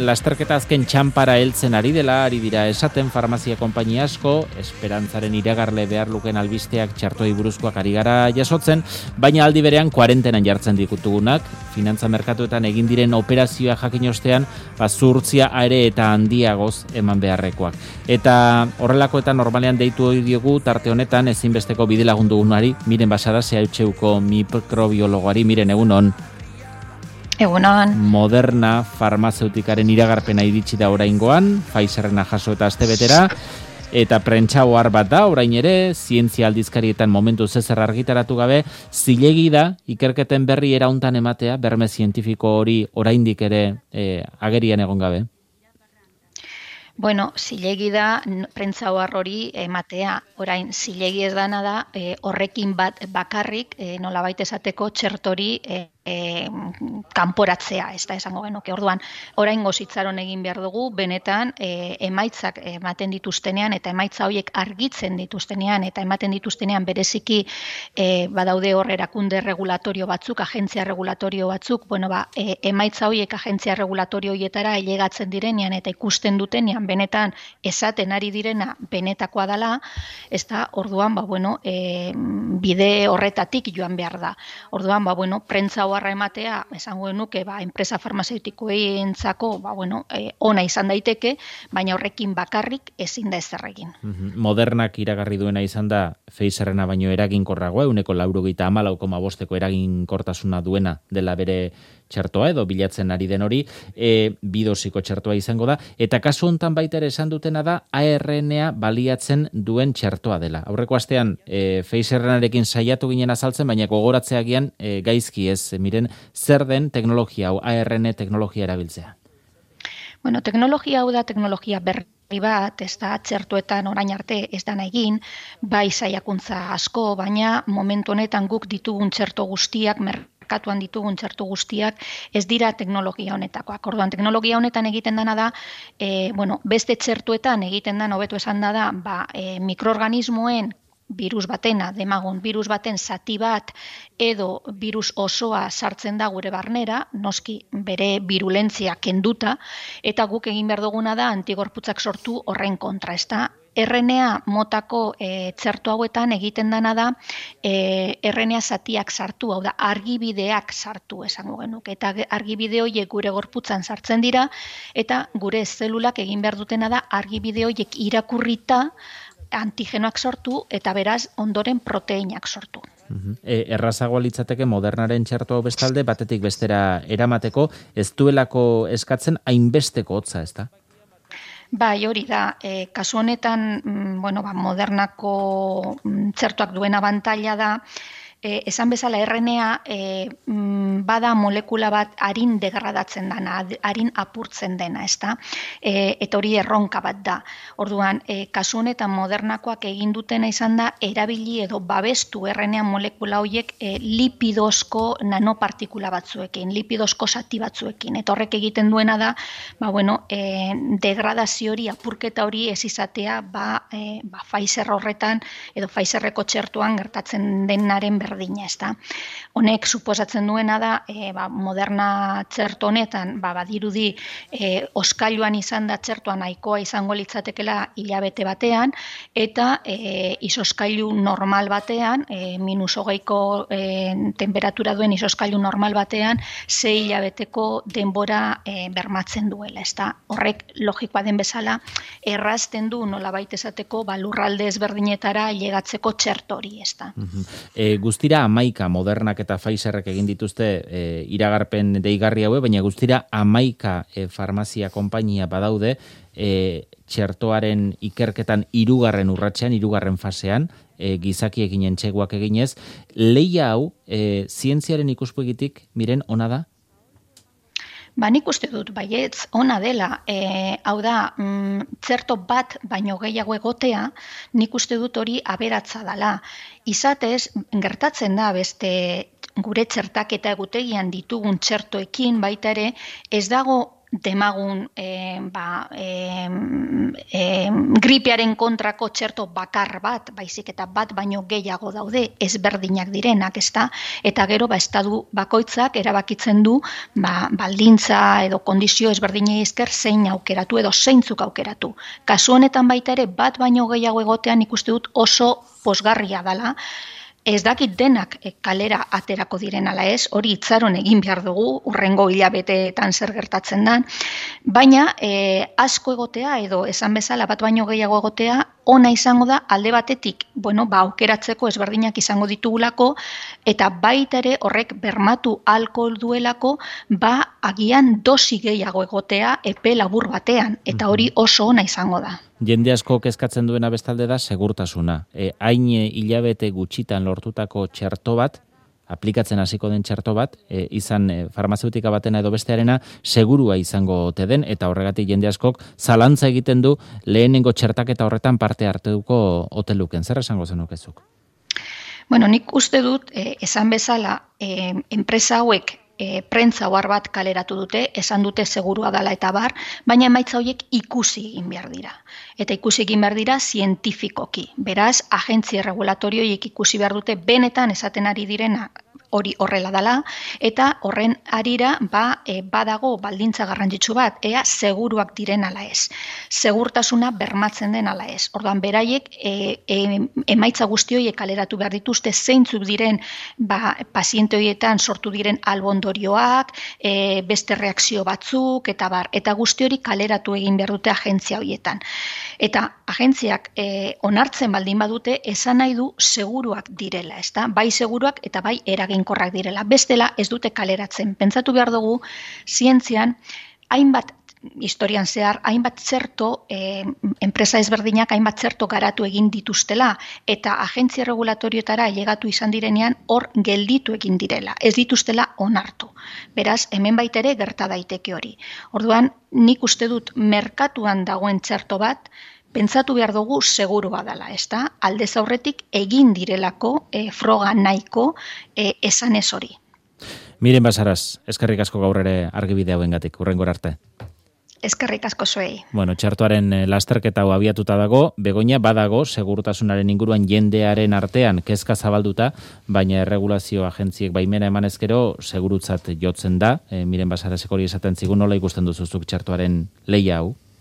Lasterketa azken txanpara heltzen ari dira esaten farmazia konpainia asko, esperantzaren iragarle behar luken albisteak txartoi buruzkoak ari gara jasotzen, baina aldi berean kuarentenan jartzen dikutugunak, finantza merkatuetan egin diren operazioa jakin ostean, zuhurtzia are eta handiagoz eman beharrekoak. Eta horrelakoetan normalean deitu hori diogu tarte honetan ezinbesteko bide lagundugunari, Miren Basada, CHUko mikrobiologoari, Miren, egunon. Egunon. Moderna farmazeutikaren iragarpena iritsi da oraingoan, Pfizerrena jaso eta astebetera, eta prentsa ohar bat da, orain ere, zientzia aldizkarietan momentu zezer argitaratu gabe, zilegi da, ikerketen berri erauntan ematea, berme zientifiko hori oraindik ere agerian egon gabe? Bueno, zilegi da, prentsa ohar hori ematea. Orain, zilegi ez dana da, horrekin bat bakarrik, nolabait esateko txertori kanporatzea, ez da esango genuke. Orduan, oraingoz itxaron egin behar dugu, benetan emaitzak ematen dituztenean, eta emaitza horiek argitzen dituztenean, eta ematen dituztenean bereziki badaude hor erakunde regulatorio batzuk, agentzia regulatorio batzuk, emaitza horiek agentzia regulatorio horietara ailegatzen direnean, eta ikusten dutenean, benetan esaten ari direna benetakoa dela, ez da, orduan, bide horretatik joan behar da. Orduan, prentza oharra ematea, esango genuke, enpresa farmazeutikoentzako, ona izan daiteke, baina horrekin bakarrik ezin da ezer egin. Modernak iragarri duena izan da, Pfizerrena baino eraginkorragoa, 94,5% eraginkortasuna duena dela bere txertoa edo bilatzen ari den hori, bidosiko txertoa izango da, eta kasu hontan baita ere esan dutena da ARNA baliatzen duen txertoa dela. Aurreko astean Pfizerrenarekin saiatu ginen azaltzen, baina gogoratzeagian gaizki ez, Miren, zer den teknologia hau, ARN teknologia erabiltzea? Teknologia hau da teknologia berri bat, ez da txertuetan orain arte ez dana egin, bai saiakuntza asko, baina momentu honetan guk ditugun txerto guztiak, merkatuan ditugun txertu guztiak, ez dira teknologia honetakoak. Orduan, teknologia honetan egiten dana da, beste txertuetan egiten dana, hobeto esan da, mikroorganismoen virus batena, demagun virus baten zati bat edo virus osoa sartzen da gure barnera, noski bere virulentzia kenduta, eta guk egin behar duguna da antigorputzak sortu horren kontra, ez da? RNA motako txertu hauetan egiten dana da RNA zatiak sartu, hau da, argibideak sartu esango genuke, eta argibide horiek gure gorputzan sartzen dira, eta gure zelulak egin behar dutena da argibide horiek irakurrita antigenoak sortu eta beraz ondoren proteinak sortu. Errazagoa litzateke Modernaren txertoa bestalde batetik bestera eramateko, ez duelako eskatzen hainbesteko hotza, ez da? Bai, hori da, kasu honetan, Modernako txertoak duen abantaila da, esan bezala RNA bada molekula bat harin degradatzen dena, harin apurtzen dena, ezta? Eta hori erronka bat da. Orduan, kasu honetan Modernakoak egin dutena izan da, erabili edo babestu RNA molekula horiek lipidozko nanopartikula batzuekin, lipidozko zati batzuekin. Eta horrek egiten duena da, degradazio hori, apurketa hori ez izatea, Pfizer horretan edo Pfizerreko txertuan gertatzen denaren berdina, ezta. Honek suposatzen duena da, Moderna txerto honetan, badirudi oskailuan izan da txertua nahikoa izango litzatekela hilabete batean, eta izoskailu normal batean, -20ko temperatura duen izoskailu normal batean, 6 hilabeteko denbora bermatzen duela, ezta. Horrek logikoa den bezala, errazten du nolabait esateko lurralde ezberdinetara ailegatzeko txerto hori, ezta. Guztira 11 Modernak eta Pfizerrek egin dituzte iragarpen deigarri haue, baina guztira 11 farmazia konpainia badaude txertoaren ikerketan 3. urratsean, 3. fasean, gizakiekin entxeguak eginez. Lehia hau, zientziaren ikuspegitik, Miren, ona da? Nik uste dut, baietz, ona dela, hau da, txerto bat baino gehiago egotea, nik uste dut hori aberatza dela. Izatez, gertatzen da beste gure txertaketa egutegian ditugun txertoekin baita ere, ez dago demagun gripearen kontrako txerto bakar bat, baizik eta bat baino gehiago daude, ezberdinak direnak, ezta? Eta gero, estadu bakoitzak erabakitzen du, baldintza edo kondizio ezberdinei esker zein aukeratu edo zeintzuk aukeratu. Kasu honetan baita ere, bat baino gehiago egotean ikuste dut oso pozgarria dela. Ez dakit denak kalera aterako diren ala ez, hori itzaron egin behar dugu, urrengo hilabeteetan zer gertatzen dan, baina asko egotea edo esan bezala bat baino gehiago egotea, ona izango da alde batetik, aukeratzeko ezberdinak izango ditugulako, eta baita ere horrek bermatu alkohol duelako, agian dosi gehiago egotea epe labur batean, eta hori oso ona izango da. Jende asko kezkatzen duena bestalde da segurtasuna. Hain hilabete gutxitan lortutako txerto bat, aplikatzen hasiko den txerto bat, izan farmazeutika batena edo bestearena, segurua izango ote den, eta horregatik jende askok zalantza egiten du lehenengo txertaketa horretan parte hartuko ote luken. Zer esango zenukezuk? Nik uste dut, esan bezala, enpresa hauek prentza ohar bat kaleratu dute, esan dute segurua dela eta bar, baina emaitza horiek ikusi egin behar dira. Eta ikusi egin behar dira zientifikoki. Beraz, agentzia regulatorioiek ikusi behar dute benetan esaten ari direna hori horrela dela, eta horren arira badago baldintza garrantzitsu bat, ea seguruak diren ala ez. Segurtasuna bermatzen den ala ez. Orduan, beraiek emaitza guzti horiek kaleratu behar dituzte zeintzuk diren paziente horietan sortu diren albondorioak, beste reakzio batzuk, eta guzti hori kaleratu egin behar dute agentzia horietan. Eta agentziak onartzen baldin badute, esan nahi du seguruak direla, ezta? Bai seguruak eta bai eraginkorrak direla. Bestela ez dute kaleratzen. Pentsatu behar dugu, zientzian, historian zehar, hainbat txerto, enpresa ezberdinak hainbat txerto garatu egin dituztela, eta agentzia regulatorioetara llegatu izan direnean hor gelditu egin direla, ez dituztela onartu. Beraz, hemen baita ere gerta daiteke hori. Orduan, nik uste dut merkatuan dagoen txerto bat, pentsatu behar dugu segurua dela, ezta? Aldez aurretik egin direlako froga nahiko esanez hori. Miren Basaras, eskerrik asko gaur ere argibide hauengatik, hurrengora arte. Eskerrik asko zuei. Txertoaren lasterketa hau abiatuta dago, Begoña badago segurtasunaren inguruan jendearen artean kezka zabalduta, baina erregulazio agentziek baimena eman ezkero segurutzat jotzen da. Miren Basarasek hori esaten zigun, nola ikusten duzuzuk txertoaren lehia hau?